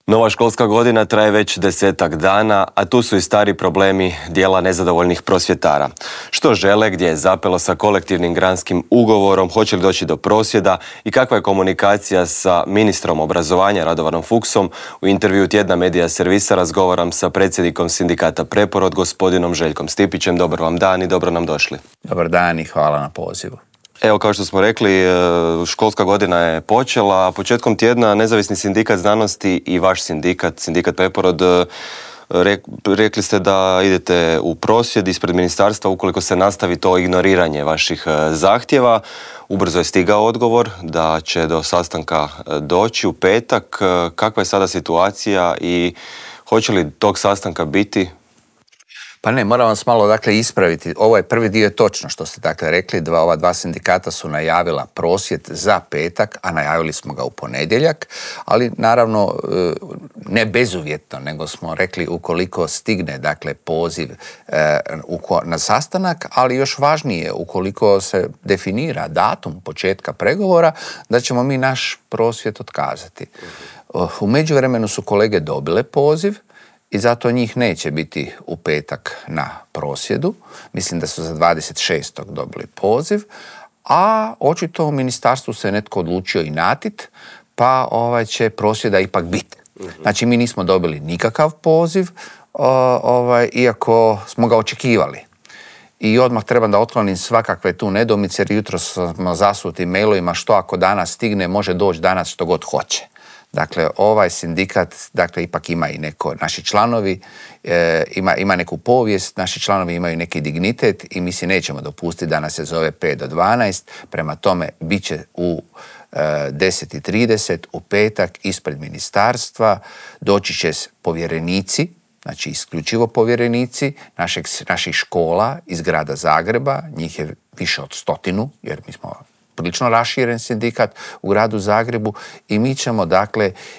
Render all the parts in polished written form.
Nova školska godina traje već 10-ak dana, a tu su i stari problemi dijela nezadovoljnih prosvjetara. Što žele, gdje je zapelo sa kolektivnim granskim ugovorom, hoće li doći do prosvjeda i kakva je komunikacija sa ministrom obrazovanja Radovanom Fuchsom. U intervju Tjedna Medija Servisa razgovaram sa predsjednikom sindikata Preporod, gospodinom Željkom Stipićem. Dobar vam dan i dobro nam došli. Dobar dan i hvala na pozivu. Evo, kao što smo rekli, školska godina je počela, a početkom tjedna Nezavisni sindikat znanosti i vaš sindikat Preporod, rekli ste da idete u prosvjed ispred ministarstva ukoliko se nastavi to ignoriranje vaših zahtjeva. Ubrzo je stigao odgovor da će do sastanka doći u petak. Kakva je sada situacija i hoće li tog sastanka biti? Pa ne, moram vas malo ispraviti. Ovo je prvi dio, je točno što ste rekli. Ova dva sindikata su najavila prosvjed za petak, a najavili smo ga u ponedjeljak, ali naravno ne bezuvjetno, nego smo rekli ukoliko stigne poziv na sastanak, ali još važnije ukoliko se definira datum početka pregovora, da ćemo mi naš prosvjed otkazati. U međuvremenu su kolege dobile poziv i zato njih neće biti u petak na prosvjedu. Mislim da su za 26. dobili poziv, a očito u ministarstvu se netko odlučio inatit, pa će prosvjeda ipak biti. Znači, mi nismo dobili nikakav poziv, iako smo ga očekivali. I odmah trebam da otklonim svakakve tu nedoumice, jer jutro smo zasuti mailovima što ako danas stigne, može doći danas što god hoće. Dakle, ovaj sindikat, ipak ima i neko, naši članovi, ima neku povijest, naši članovi imaju neki dignitet i mi si nećemo dopustiti da nas se zove 5 do 12, prema tome bit će u 10:30 u petak ispred ministarstva, doći će povjerenici, znači isključivo povjerenici naših škola iz grada Zagreba, njih je više od 100, jer mi smo prilično raširen sindikat u gradu Zagrebu i mi ćemo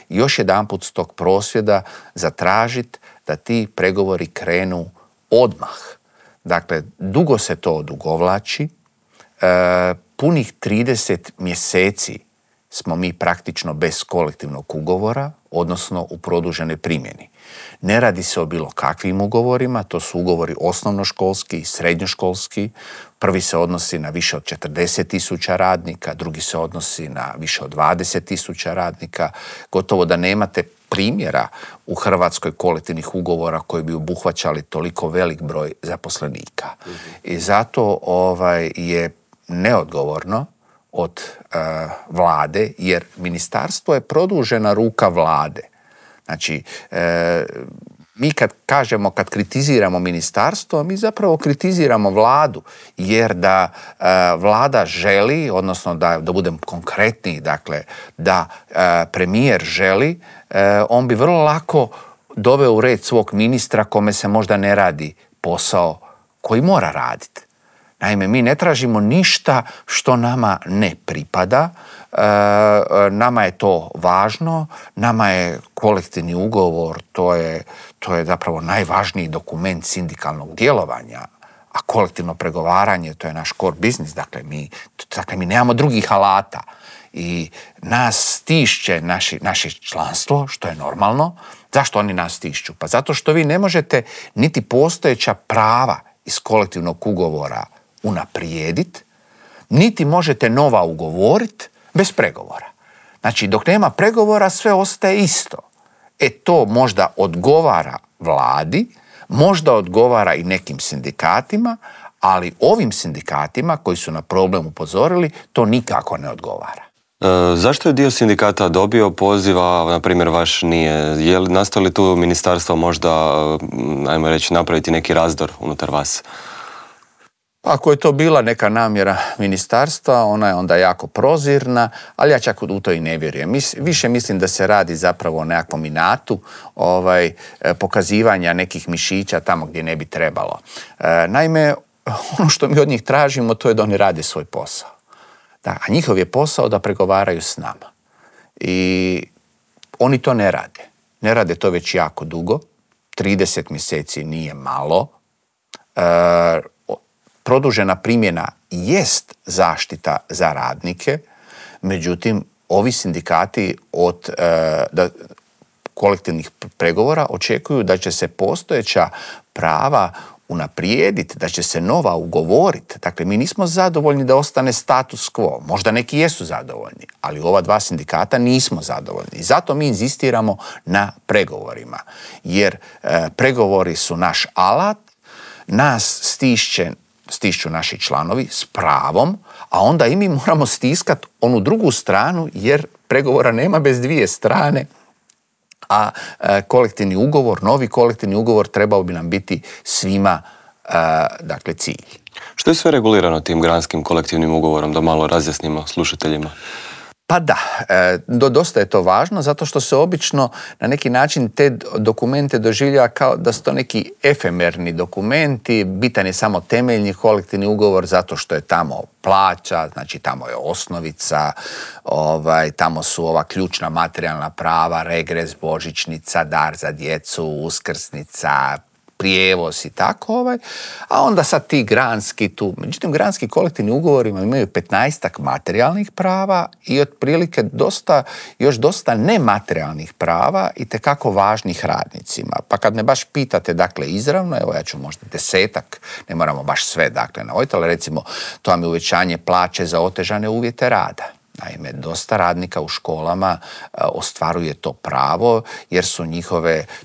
još jedanput s tog prosvjeda zatražiti da ti pregovori krenu odmah. Dakle, dugo se to odugovlači, punih 30 mjeseci smo mi praktično bez kolektivnog ugovora, odnosno u produženoj primjeni. Ne radi se o bilo kakvim ugovorima, to su ugovori osnovnoškolski i srednjoškolski. Prvi se odnosi na više od 40.000 radnika, drugi se odnosi na više od 20.000 radnika. Gotovo da nemate primjera u Hrvatskoj kolektivnih ugovora koji bi obuhvaćali toliko velik broj zaposlenika. I zato je neodgovorno od vlade, jer ministarstvo je produžena ruka vlade. Znači, mi kad kritiziramo ministarstvo, mi zapravo kritiziramo vladu, jer da vlada želi, odnosno da budem konkretniji, da premijer želi, on bi vrlo lako doveo u red svog ministra kome se možda ne radi posao koji mora raditi. Naime, mi ne tražimo ništa što nama ne pripada, nama je to važno, nama je kolektivni ugovor, to je zapravo najvažniji dokument sindikalnog djelovanja, a kolektivno pregovaranje, to je naš core business, dakle mi nemamo drugih alata i nas stišće naše članstvo, što je normalno. Zašto oni nas stišću? Pa zato što vi ne možete niti postojeća prava iz kolektivnog ugovora unaprijediti, niti možete nova ugovoriti bez pregovora. Znači, dok nema pregovora, sve ostaje isto. To možda odgovara vladi, možda odgovara i nekim sindikatima, ali ovim sindikatima koji su na problem upozorili, to nikako ne odgovara. Zašto je dio sindikata dobio poziva, na primjer vaš nije? Je li nastalo li tu ministarstvo možda, ajmo reći, napraviti neki razdor unutar vas? Ako je to bila neka namjera ministarstva, ona je onda jako prozirna, ali ja čak u to i ne vjerujem. Više mislim da se radi zapravo o nekakvom inatu, pokazivanja nekih mišića tamo gdje ne bi trebalo. Naime, ono što mi od njih tražimo, to je da oni rade svoj posao. A njihov je posao da pregovaraju s nama. I oni to ne rade. Ne rade to već jako dugo. 30 mjeseci nije malo. Produžena primjena jest zaštita za radnike, međutim, ovi sindikati kolektivnih pregovora očekuju da će se postojeća prava unaprijediti, da će se nova ugovoriti. Dakle, mi nismo zadovoljni da ostane status quo. Možda neki jesu zadovoljni, ali ova dva sindikata nismo zadovoljni. I zato mi inzistiramo na pregovorima. Jer pregovori su naš alat, nas stišću naši članovi s pravom, a onda i mi moramo stiskati onu drugu stranu, jer pregovora nema bez dvije strane, a kolektivni ugovor, novi kolektivni ugovor trebao bi nam biti svima dakle cilj. Što je sve regulirano tim granskim kolektivnim ugovorom, da malo razjasnimo slušateljima? Pa da, dosta je to važno zato što se obično na neki način te dokumente doživljava kao da su to neki efemerni dokumenti, bitan je samo temeljni kolektivni ugovor zato što je tamo plaća, znači tamo je osnovica, tamo su ova ključna materijalna prava, regres, božićnica, dar za djecu, uskrsnica, prijevoz i tako, a onda sad ti granski tu. Međutim, granski kolektivni ugovorima imaju 15-ak materijalnih prava i otprilike još dosta nematerijalnih prava i tekako važnih radnicima. Pa kad me baš pitate, dakle, izravno, evo ja ću možda 10-ak, ne moramo baš sve, dakle, navoditi, ali recimo to vam je uvećanje plaće za otežane uvjete rada. Naime, dosta radnika u školama ostvaruje to pravo jer su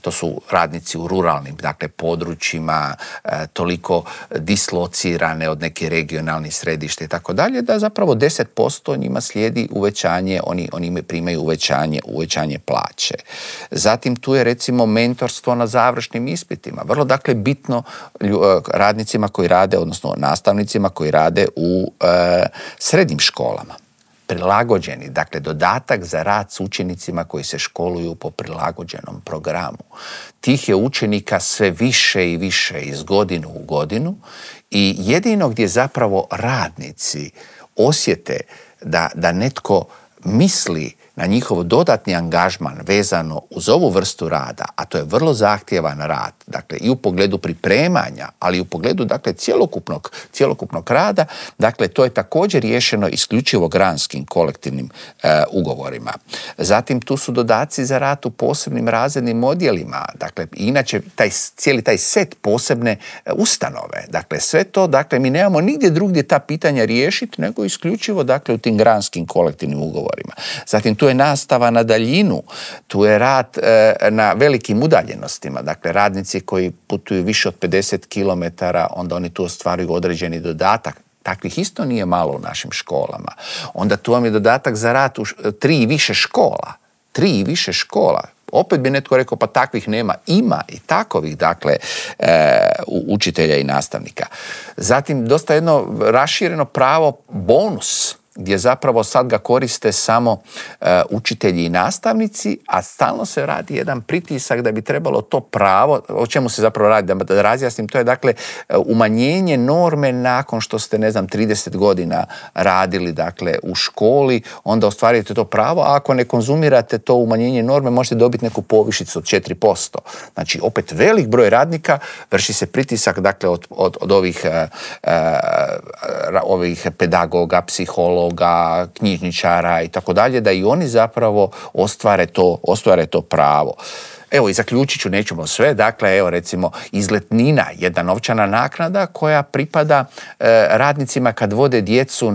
to su radnici u ruralnim, dakle, područjima, toliko dislocirane od nekih regionalnih središta i tako dalje, da zapravo 10% njima slijedi uvećanje, oni primaju uvećanje plaće. Zatim tu je recimo mentorstvo na završnim ispitima. Vrlo, dakle, bitno radnicima koji rade, odnosno nastavnicima koji rade u srednjim školama. Prilagođeni, dakle dodatak za rad s učenicima koji se školuju po prilagođenom programu. Tih je učenika sve više i više iz godinu u godinu i jedino gdje zapravo radnici osjete da netko misli na njihov dodatni angažman vezano uz ovu vrstu rada, a to je vrlo zahtjevan rad, dakle i u pogledu pripremanja, ali i u pogledu, dakle, cjelokupnog rada, dakle to je također riješeno isključivo granskim kolektivnim ugovorima. Zatim tu su dodaci za rad u posebnim razrednim odjelima, dakle inače cijeli taj set posebne ustanove, dakle sve to, dakle mi nemamo nigdje drugdje ta pitanja riješiti nego isključivo, dakle, u tim granskim kolektivnim ugovorima. Zatim tu je nastava na daljinu, tu je rad na velikim udaljenostima, dakle radnici koji putuju više od 50 km, onda oni tu ostvaruju određeni dodatak. Takvih isto nije malo u našim školama. Onda tu vam je dodatak za rad u 3 i više škola. 3 i više škola. Opet bi netko rekao, pa takvih nema. Ima i takovih, dakle, učitelja i nastavnika. Zatim dosta jedno rašireno pravo bonus, gdje zapravo sad ga koriste samo učitelji i nastavnici, a stalno se radi jedan pritisak da bi trebalo to pravo, o čemu se zapravo radi, da razjasnim, to je, dakle, umanjenje norme nakon što ste, 30 godina radili, dakle, u školi, onda ostvarujete to pravo, a ako ne konzumirate to umanjenje norme, možete dobiti neku povišicu od 4%. Znači, opet velik broj radnika, vrši se pritisak, dakle, od ovih pedagoga, psihologa, knjižničara i tako dalje, da i oni zapravo ostvare to pravo. Evo, i zaključit ću, nećemo sve, dakle, evo recimo izletnina, jedna novčana naknada koja pripada radnicima kad vode djecu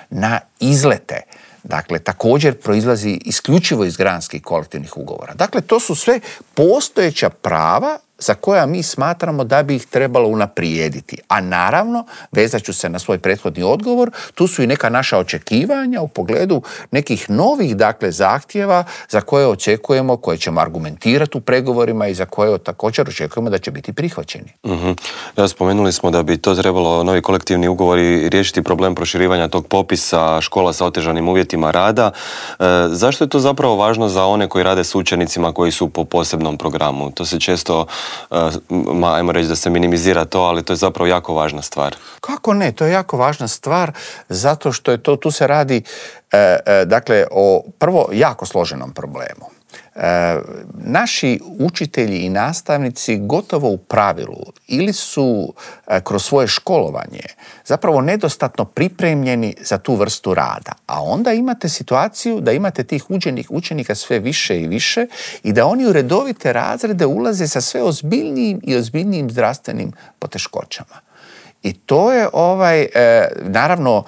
na izlete. Dakle, također proizlazi isključivo iz granskih kolektivnih ugovora. Dakle, to su sve postojeća prava za koja mi smatramo da bi ih trebalo unaprijediti. A naravno, vezat ću se na svoj prethodni odgovor, tu su i neka naša očekivanja u pogledu nekih novih, dakle, zahtjeva za koje očekujemo, koje ćemo argumentirati u pregovorima i za koje također očekujemo da će biti prihvaćeni. Da, spomenuli smo da bi to trebalo, novi kolektivni ugovori, riješiti problem proširivanja tog popisa škola sa otežanim uvjetima rada. Zašto je to zapravo važno za one koji rade s učenicima koji su po posebnom programu? To se često, ajmo reći da se minimizira to, ali to je zapravo jako važna stvar. Kako ne? To je jako važna stvar zato što je tu se radi, dakle, o prvo jako složenom problemu. Naši učitelji i nastavnici gotovo u pravilu ili su kroz svoje školovanje zapravo nedostatno pripremljeni za tu vrstu rada. A onda imate situaciju da imate tih učenika sve više i više i da oni u redovite razrede ulaze sa sve ozbiljnijim i ozbiljnijim zdravstvenim poteškoćama. I to je naravno,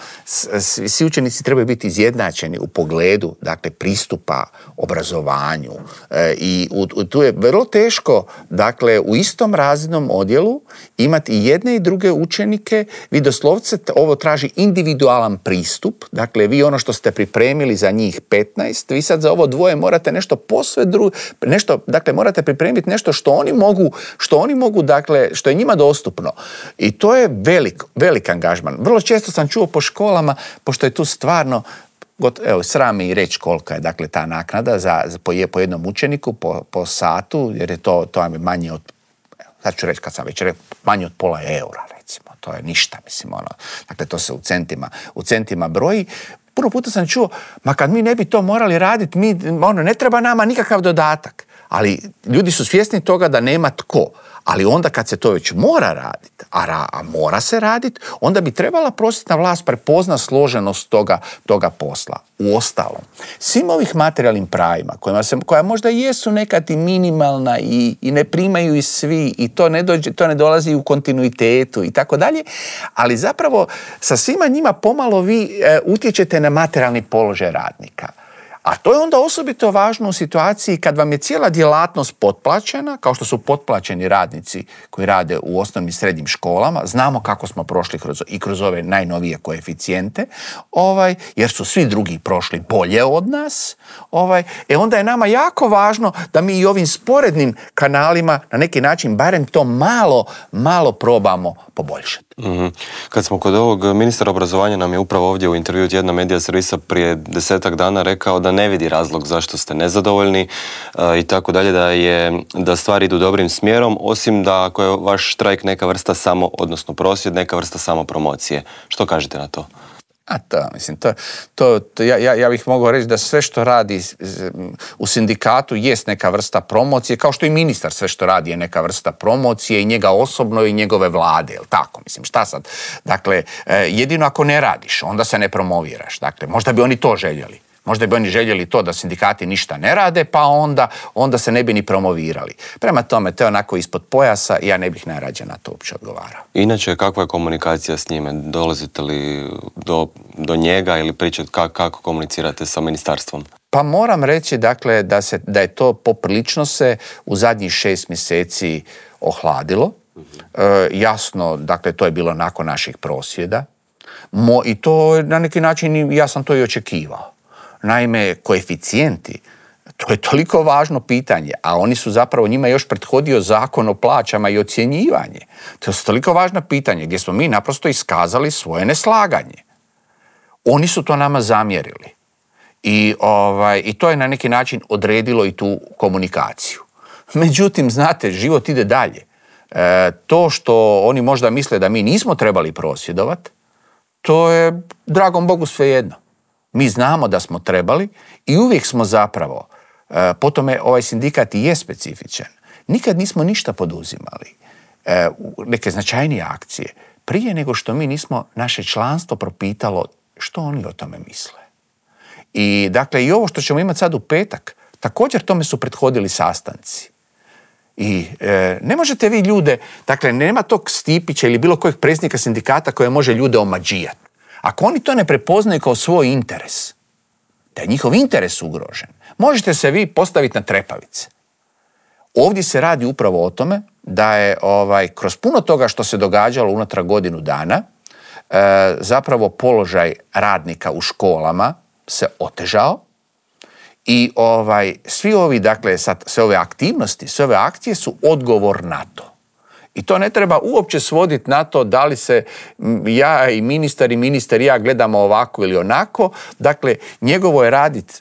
svi učenici trebaju biti izjednačeni u pogledu, dakle, pristupa obrazovanju. I tu je vrlo teško, dakle, u istom razrednom odjelu imati i jedne i druge učenike. Vi doslovce, ovo traži individualan pristup. Dakle, vi ono što ste pripremili za njih 15, vi sad za ovo dvoje morate nešto posve drugo, dakle, morate pripremiti nešto što oni mogu, dakle, što je njima dostupno. I to je velik angažman. Vrlo često sam čuo po školama, pošto je tu stvarno, evo, sram me i reći kolika je, dakle, ta naknada po jednom učeniku po satu, jer je to je manje od, sad ću reći kad sam već rekao, manje od pola eura, recimo. To je ništa, mislim, dakle, to se u centima broji. Puno puta sam čuo, ma kad mi ne bi to morali raditi, ne treba nama nikakav dodatak. Ali ljudi su svjesni toga da nema tko. Ali onda kad se to već mora raditi, a mora se raditi, onda bi trebala prosvjetna vlast prepozna složenost toga posla. Uostalom, svim ovih materijalnim pravima, koja možda jesu nekad i minimalna i ne primaju i svi, i to ne dolazi u kontinuitetu i tako dalje, ali zapravo sa svima njima pomalo vi utječete na materijalni položaj radnika. A to je onda osobito važno u situaciji kad vam je cijela djelatnost potplaćena, kao što su potplaćeni radnici koji rade u osnovnim i srednjim školama. Znamo kako smo prošli kroz ove najnovije koeficijente, jer su svi drugi prošli bolje od nas. Onda je nama jako važno da mi i ovim sporednim kanalima na neki način barem to malo probamo poboljšati. Mm-hmm. Kad smo kod ovog, ministar obrazovanja nam je upravo ovdje u intervju Tjedna Medija Servisa prije 10 dana rekao da ne vidi razlog zašto ste nezadovoljni i tako dalje, da stvari idu dobrim smjerom, osim da ako je vaš štrajk neka vrsta odnosno prosvjed, neka vrsta samopromocije. Što kažete na to? Ja bih mogao reći da sve što radi u sindikatu jest neka vrsta promocije, kao što i ministar sve što radi je neka vrsta promocije i njega osobno i njegove vlade, jel tako? Mislim, šta sad? Dakle, jedino ako ne radiš, onda se ne promoviraš. Dakle, možda bi oni to željeli. Možda bi oni željeli to da sindikati ništa ne rade, pa onda se ne bi ni promovirali. Prema tome, to je onako ispod pojasa i ja ne bih najrađe na to uopće odgovarao. Inače, kakva je komunikacija s njime? Dolazite li do njega ili pričate kako komunicirate sa ministarstvom? Pa moram reći, dakle, da je to poprilično se u zadnjih 6 mjeseci ohladilo. Jasno, dakle, to je bilo nakon naših prosvjeda. I to na neki način, ja sam to i očekivao. Naime, koeficijenti, to je toliko važno pitanje, a oni su zapravo, njima još prethodio zakon o plaćama i ocjenjivanje. To je toliko važno pitanje gdje smo mi naprosto iskazali svoje neslaganje. Oni su to nama zamjerili. I to je na neki način odredilo i tu komunikaciju. Međutim, znate, život ide dalje. To što oni možda misle da mi nismo trebali prosvjedovati, to je, dragom Bogu, svejedno. Mi znamo da smo trebali i uvijek smo zapravo, po tome ovaj sindikat i je specifičan, nikad nismo ništa poduzimali, neke značajnije akcije, prije nego što mi nismo naše članstvo propitalo što oni o tome misle. I dakle, i ovo što ćemo imati sad u petak, također tome su prethodili sastanci. I ne možete vi ljude, dakle, nema tog Stipića ili bilo kojeg predsjednika sindikata koje može ljude omađijati. Ako oni to ne prepoznaju kao svoj interes, da je njihov interes ugrožen, možete se vi postaviti na trepavice. Ovdje se radi upravo o tome da je kroz puno toga što se događalo unatrag godinu dana, zapravo položaj radnika u školama se otežao i svi ovi, dakle, sve ove aktivnosti, sve ove akcije su odgovor na to. I to ne treba uopće svoditi na to da li se ja i ministar i ja gledamo ovako ili onako. Dakle, njegovo je raditi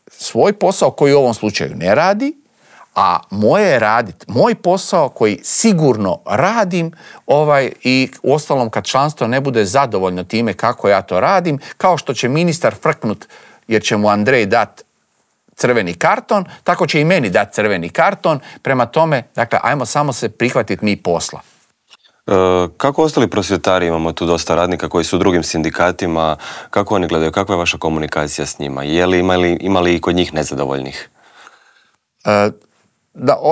svoj posao koji u ovom slučaju ne radi, a moje je raditi moj posao koji sigurno radim i uostalom kad članstvo ne bude zadovoljno time kako ja to radim, kao što će ministar frknut jer će mu Andrej dat crveni karton, tako će i meni dati crveni karton. Prema tome, dakle, ajmo samo se prihvatiti mi posla. Kako ostali prosvjetari, imamo tu dosta radnika koji su u drugim sindikatima, kako oni gledaju, kakva je vaša komunikacija s njima? Ima li i kod njih nezadovoljnih?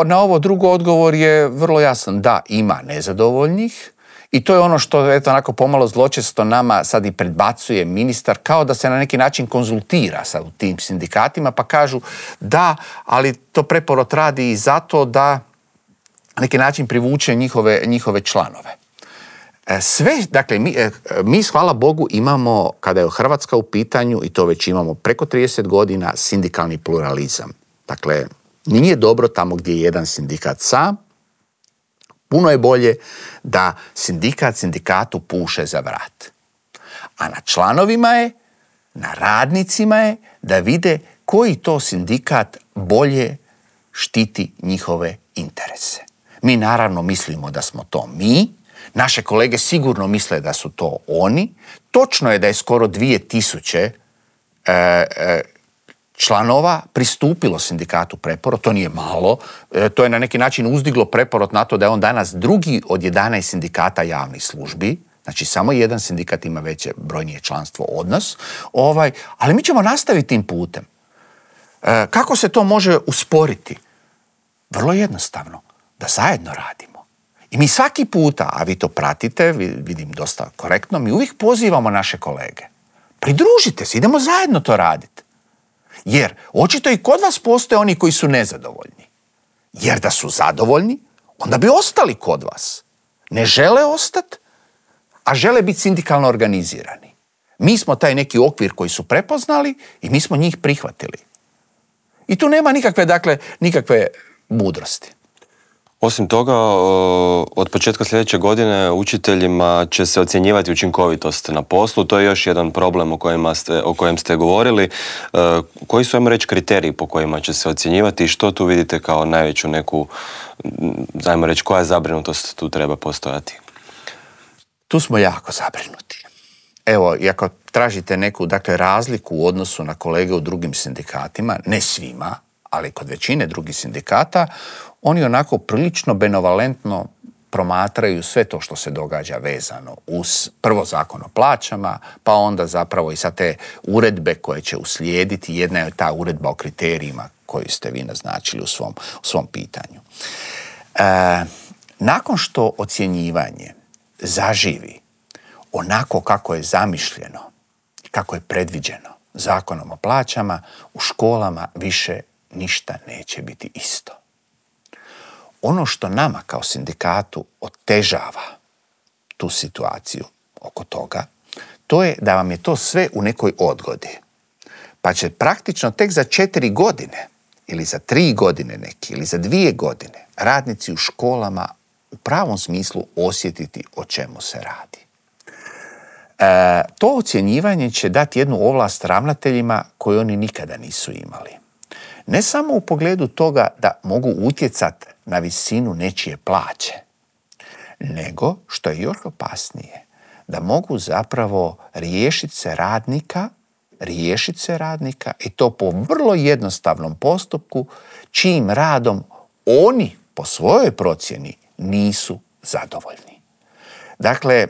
Na ovo drugo odgovor je vrlo jasan. Da, ima nezadovoljnih i to je ono što eto onako pomalo zločesto nama sad i predbacuje ministar, kao da se na neki način konzultira sa tim sindikatima, pa kažu da, ali to Preporod radi i zato da na neki način privuče njihove članove. Sve, dakle, mi hvala Bogu imamo, kada je Hrvatska u pitanju, i to već imamo preko 30 godina, sindikalni pluralizam. Dakle, nije dobro tamo gdje je jedan sindikat sam, puno je bolje da sindikat sindikatu puše za vrat. A na članovima je, na radnicima je da vide koji to sindikat bolje štiti njihove interese. Mi naravno mislimo da smo to mi, naše kolege sigurno misle da su to oni. Točno je da je skoro 2000 članova pristupilo sindikatu Preporod, to nije malo, to je na neki način uzdiglo Preporod na to da je on danas drugi od 11 sindikata javnih službi, znači samo jedan sindikat ima veće brojnije članstvo od nas, ali mi ćemo nastaviti tim putem. Kako se to može usporiti? Vrlo jednostavno, da zajedno radimo. I mi svaki puta, a vi to pratite, vidim dosta korektno, mi uvijek pozivamo naše kolege. Pridružite se, idemo zajedno to raditi. Jer očito i kod vas postoje oni koji su nezadovoljni. Jer da su zadovoljni, onda bi ostali kod vas. Ne žele ostati, a žele biti sindikalno organizirani. Mi smo taj neki okvir koji su prepoznali i mi smo njih prihvatili. I tu nema nikakve mudrosti. Osim toga, od početka sljedeće godine učiteljima će se ocjenjivati učinkovitost na poslu. To je još jedan problem o kojem ste govorili. Koji su, ajmo reći, kriteriji po kojima će se ocjenjivati i što tu vidite kao najveću neku, ajmo reći, koja zabrinutost tu treba postojati? Tu smo jako zabrinuti. Evo, i ako tražite neku razliku u odnosu na kolege u drugim sindikatima, ne svima, ali kod većine drugih sindikata, oni onako prilično benevolentno promatraju sve to što se događa vezano uz prvo Zakon o plaćama, pa onda zapravo i sa te uredbe koje će uslijediti. Jedna je ta uredba o kriterijima koju ste vi naznačili u svom pitanju. Nakon što ocjenjivanje zaživi onako kako je zamišljeno, kako je predviđeno Zakonom o plaćama, u školama više ništa neće biti isto. Ono što nama kao sindikatu otežava tu situaciju oko toga, to je da vam je to sve u nekoj odgodi. Pa će praktično tek za 4 godine ili za 3 godine neki ili za 2 godine radnici u školama u pravom smislu osjetiti o čemu se radi. To ocjenjivanje će dati jednu ovlast ravnateljima koju oni nikada nisu imali. Ne samo u pogledu toga da mogu utjecati na visinu nečije plaće, nego, što je još opasnije, da mogu zapravo riješiti se radnika i to po vrlo jednostavnom postupku, čijim radom oni po svojoj procjeni nisu zadovoljni. Dakle,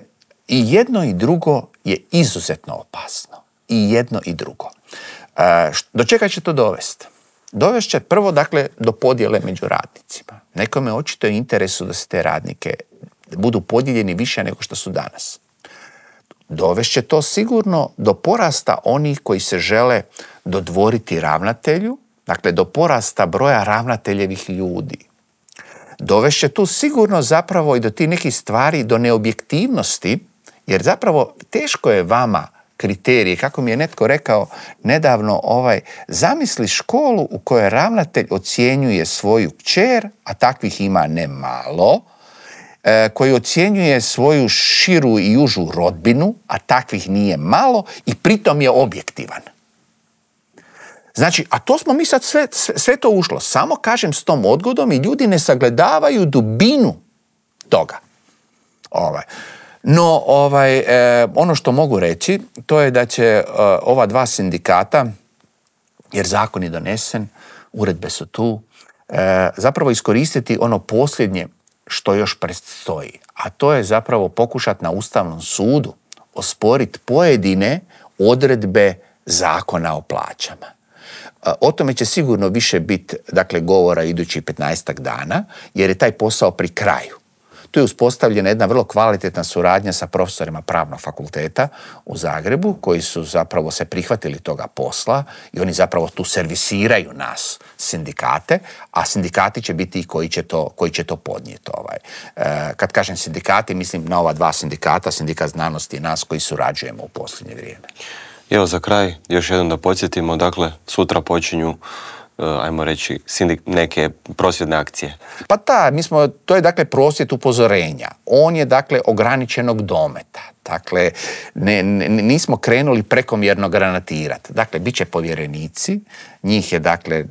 i jedno i drugo je izuzetno opasno. I jedno i drugo. Do čega će to dovesti? Dovest će prvo, do podjele među radnicima. Nekome očito je interesu da se te radnike budu podijeljeni više nego što su danas. Dovest će to sigurno do porasta onih koji se žele dodvoriti ravnatelju, do porasta broja ravnateljevih ljudi. Dovest će tu sigurno zapravo i do tih nekih stvari, do neobjektivnosti, jer zapravo teško je vama kriterije, kako mi je netko rekao nedavno, zamisli školu u kojoj ravnatelj ocjenjuje svoju kćer, a takvih ima ne malo, koji ocjenjuje svoju širu i užu rodbinu, a takvih nije malo, i pritom je objektivan. Znači, a to smo mi sad sve to ušlo. Samo kažem s tom odgodom i ljudi ne sagledavaju dubinu toga. No, ono što mogu reći, to je da će ova dva sindikata jer zakon je donesen, uredbe su tu, zapravo iskoristiti ono posljednje što još predstoji, a to je zapravo pokušati na Ustavnom sudu osporiti pojedine odredbe Zakona o plaćama. O tome će sigurno više biti, dakle, govora idućih 15 dana, jer je taj posao pri kraju. Tu je uspostavljena jedna vrlo kvalitetna suradnja sa profesorima Pravnog fakulteta u Zagrebu, koji su zapravo se prihvatili toga posla i oni zapravo tu servisiraju nas, sindikate, a sindikati će biti i koji će to podnijeti. Kad kažem sindikati, mislim na ova dva sindikata, Sindikat znanosti i nas koji surađujemo u posljednje vrijeme. Evo za kraj, još jednom da podsjetimo, dakle, sutra počinju, ajmo reći, neke prosvjedne akcije. Pa to je dakle prosvjed upozorenja. On je dakle ograničenog dometa. Dakle, nismo krenuli prekomjerno granatirati. Dakle, bit će povjerenici, njih je dakle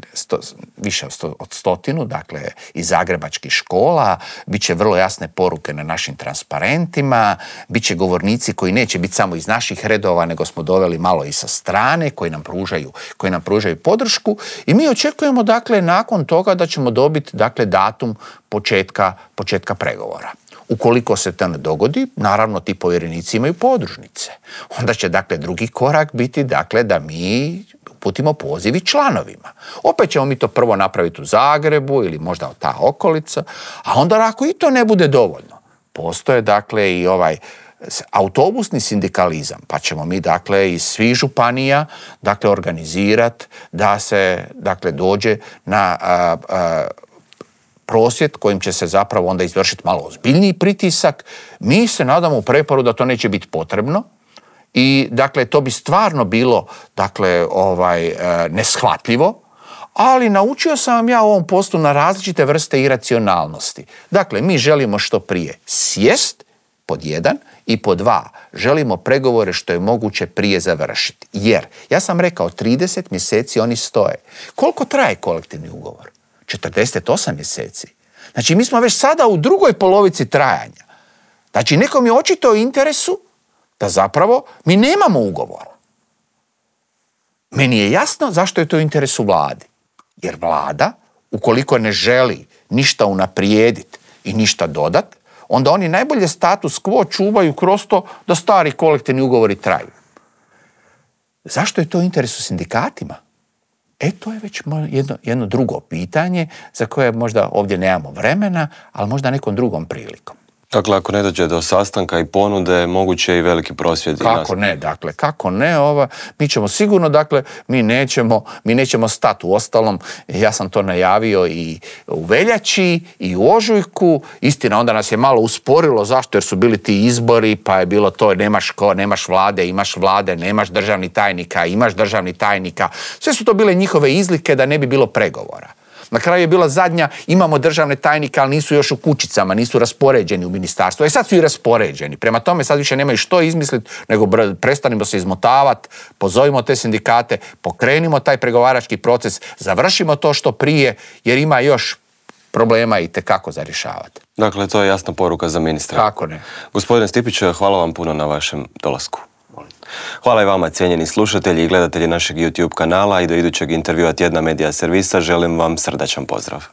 više od 100, dakle iz zagrebačkih škola, bit će vrlo jasne poruke na našim transparentima, bit će govornici koji neće biti samo iz naših redova, nego smo doveli malo i sa strane, koji nam pružaju podršku i mi očekujemo dakle nakon toga da ćemo dobiti dakle datum početka pregovora. Ukoliko se to ne dogodi, naravno ti povjerenici imaju podružnice. Onda će dakle drugi korak biti dakle da mi uputimo poziv članovima. Opet ćemo mi to prvo napraviti u Zagrebu ili možda ta okolica, a onda ako i to ne bude dovoljno, postoje dakle i ovaj autobusni sindikalizam, pa ćemo mi dakle iz svih županija dakle organizirati da se dakle dođe na prosvjed kojim će se zapravo onda izvršiti malo ozbiljniji pritisak. Mi se nadamo u Preporu da to neće biti potrebno i dakle to bi stvarno bilo dakle neshvatljivo, ali naučio sam vam ja u ovom poslu na različite vrste iracionalnosti. Dakle, mi želimo što prije sjest, pod 1, i pod 2, želimo pregovore što je moguće prije završiti. Jer, ja sam rekao, 30 mjeseci oni stoje. Koliko traje kolektivni ugovor? 48 mjeseci. Znači, mi smo već sada u drugoj polovici trajanja. Znači, nekom je očito u interesu da zapravo mi nemamo ugovora. Meni je jasno zašto je to u interesu vladi. Jer vlada, ukoliko ne želi ništa unaprijediti i ništa dodati, onda oni najbolje status quo čuvaju kroz to da stari kolektivni ugovori traju. Zašto je to u interesu sindikatima? To je već jedno drugo pitanje za koje možda ovdje nemamo vremena, ali možda nekom drugom prilikom. Dakle, ako ne dođe do sastanka i ponude, moguće i veliki prosvjed. Kako ne, mi ćemo sigurno, dakle, mi nećemo stati. Uostalom, ja sam to najavio i u veljači i u ožujku. Istina, onda nas je malo usporilo, zašto? Jer su bili ti izbori, pa je bilo to, nemaš vlade, imaš vlade, nemaš državni tajnika, imaš državni tajnika. Sve su to bile njihove izlike da ne bi bilo pregovora. Na kraju je bila zadnja, imamo državne tajnike, ali nisu još u kućicama, nisu raspoređeni u ministarstvu. Sad su i raspoređeni. Prema tome sad više nemaju što izmisliti, nego prestanimo se izmotavati, pozovimo te sindikate, pokrenimo taj pregovarački proces, završimo to što prije, jer ima još problema i tekako za rješavati. Dakle, to je jasna poruka za ministra. Kako ne. Gospodine Stipić, hvala vam puno na vašem dolasku. Hvala i vama, cijenjeni slušatelji i gledatelji našeg YouTube kanala, i do idućeg intervjua Tjedna Medija servisa želim vam srdačan pozdrav.